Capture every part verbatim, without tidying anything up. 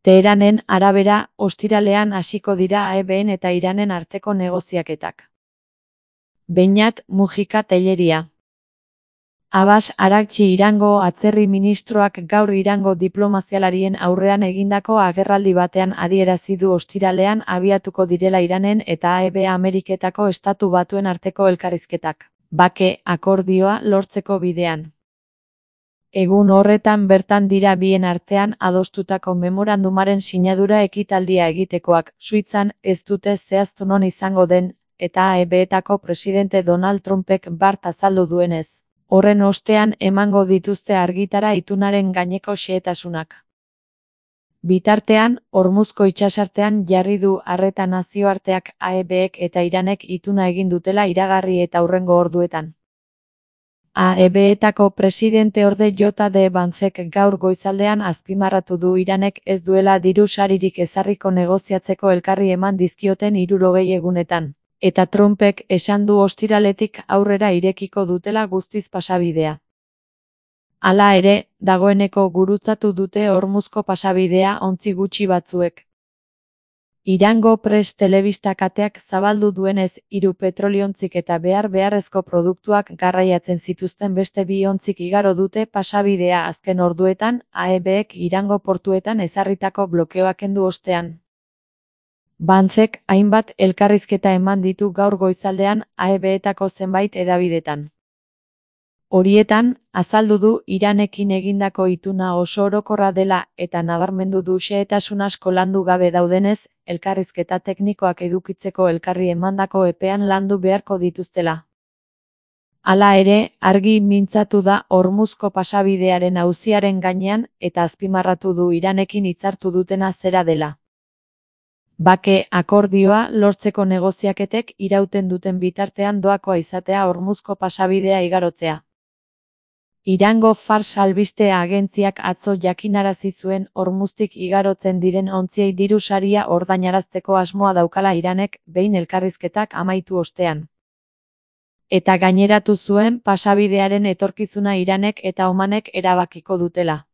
Teheranen arabera, ostiralean hasiko dira A E Bn eta Iranen arteko negoziaketak. Beñat Mujika Telleria. Abbas Araghchi Irango atzerri ministroak gaur Irango diplomazialarien aurrean egindako agerraldi batean adierazi du ostiralean abiatuko direla Iranen eta A E B Ameriketako Estatu Batuen arteko elkarrizketak, bake akordioa lortzeko bidean. Egun horretan bertan dira bien artean adostutako memorandumaren sinadura ekitaldia egitekoak, Suitzan ez dute zehaztu non izango den, eta A E Betako presidente Donald Trumpek bart azaldu duenez. Horren ostean emango dituzte argitara itunaren gaineko xehetasunak. Bitartean, Hormuzko itsasartean jarri du arreta nazioarteak A E Bek eta Iranek ituna egin dutela iragarri eta hurrengo orduetan. A E Betako presidente orde J D Vancek gaur goizaldean azpimarratu du Iranek ez duela diru saririk ezarriko negoziatzeko elkarri eman dizkioten hirurogei egunetan. Eta Trumpek esan du ostiraletik aurrera irekiko dutela guztiz pasabidea. Hala ere, dagoeneko gurutzatu dute Hormuzko pasabidea ontzi gutxi batzuek. Irango Press telebista kateak zabaldu duenez, hiru petroliontzik eta behar beharrezko produktuak garraiatzen zituzten beste bi ontzik igaro dute pasabidea azken orduetan, A E Bek Irango portuetan ezarritako blokeoak kendu ostean. Vancek hainbat elkarrizketa eman ditu gaur goizaldean A E Betako zenbait hedabidetan. Horietan, azaldu du Iranekin egindako ituna oso orokorra dela eta nabarmendu du xehetasun asko landu gabe daudenez, elkarrizketa teknikoak edukitzeko elkarri emandako epean landu beharko dituztela. Hala ere, argi mintzatu da Hormuzko pasabidearen auziaren gainean eta azpimarratu du Iranekin hitzartu dutena zera dela. Bake akordioa lortzeko negoziaketek irauten duten bitartean doakoa izatea Hormuzko pasabidea igarotzea. Irango Fars albiste agentziak atzo jakinarazi zuen Hormuztik igarotzen diren ontziei diru saria ordainarazteko asmoa daukala Iranek behin elkarrizketak amaitu ostean. Eta gaineratu zuen pasabidearen etorkizuna Iranek eta Omanek erabakiko dutela.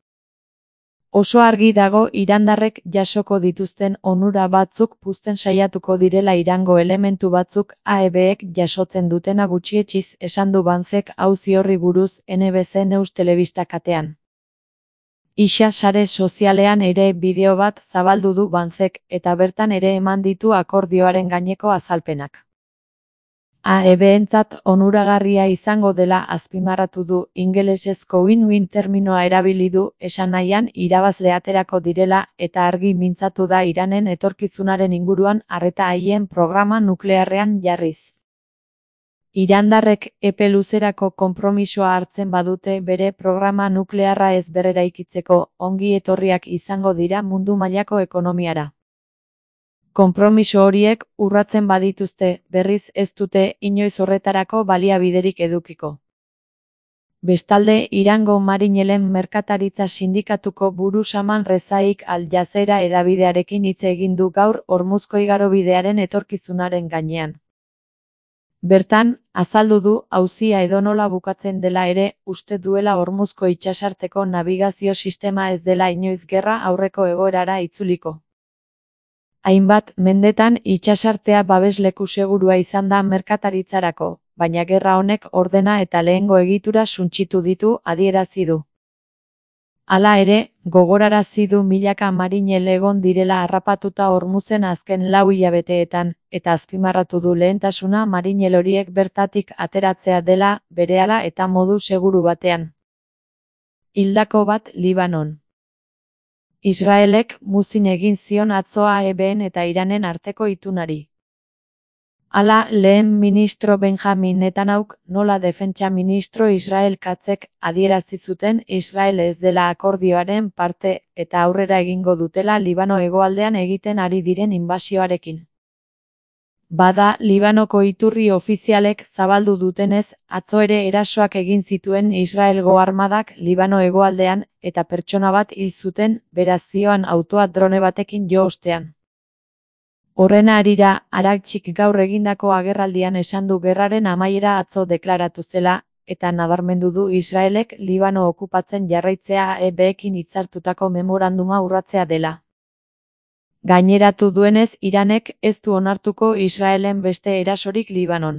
Oso argi dago irandarrek jasoko dituzten onura batzuk puzten saiatuko direla Irango elementu batzuk A E Bek jasotzen dutena gutxietsiz esan du Vancek auzi horri buruz N B C News telebista katean. Isa sare sozialean ere bideo bat zabaldu du Vancek eta bertan ere eman ditu akordioaren gaineko azalpenak. A E Bentzat onuragarria izango dela azpimarratu du ingelesezko win-win terminoa erabili du esan nahian irabazle aterako direla eta argi mintzatu da Iranen etorkizunaren inguruan arreta haien programa nuklearrean jarriz. Irandarrek epe luzerako konpromisoa hartzen badute bere programa nuklearra ez berreraikitzeko ongi etorriak izango dira mundu mailako ekonomiara. Konpromiso horiek urratzen badituzte, berriz ez dute inoiz horretarako baliabiderik edukiko. Bestalde, Irango marinelen merkataritza sindikatuko buru Saman Rezaik Al Jazeera hedabidearekin hitz egin du gaur Hormuzko igarobidearen etorkizunaren gainean. Bertan, azaldu du auzia edonola bukatzen dela ere, uste duela Hormuzko itsasarteko nabigazio sistema ez dela inoiz gerra aurreko egoerara itzuliko. Hainbat mendetan itsasartea babesleku segurua izan da merkataritzarako, baina gerra honek ordena eta lehengo egitura suntsitu ditu adierazi du. Hala ere, gogorarazi du milaka marinel egon direla harrapatuta Hormuzen azken lau hilabeteetan, eta azpimarratu du lehentasuna marinel horiek bertatik ateratzea dela, berehala eta modu seguru batean. Hildako bat Libanon. Israelek muzin egin zion atzo A E Ben eta Iranen arteko itunari. Hala, lehen ministro Benjamin Netanyahuk, nola defentsa ministro Israel Katzek adierazi zuten Israel ez dela akordioaren parte eta aurrera egingo dutela Libano hegoaldean egiten ari diren inbasioarekin. Bada, Libanoko iturri ofizialek zabaldu dutenez, atzo ere erasoak egin zituen Israelgo armadak Libano hegoaldean, eta pertsona bat hil zuten, beraz zioan autoa drone batekin jo ostean. Horren harira, Araghchik gaur egindako agerraldian esan du gerraren amaiera atzo deklaratu zela, eta nabarmendu du Israelek Libano okupatzen jarraitzea A E Bekin hitzartutako memoranduma urratzea dela. Gaineratu duenez, Iranek ez du onartuko Israelen beste erasorik Libanon.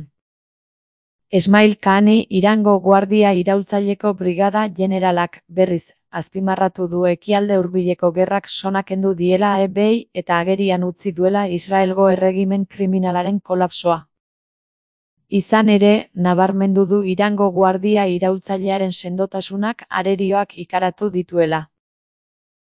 Esmail Kahani, Irango Guardia Iraultzaileko Brigada Jeneralak, berriz, azpimarratu du Ekialde Hurbileko gerrak sona kendu diela E B I eta agerian utzi duela Israelgo erregimen kriminalaren kolapsoa. Izan ere, nabarmendu du Irango Guardia Iraultzailearen sendotasunak arerioak ikaratu dituela.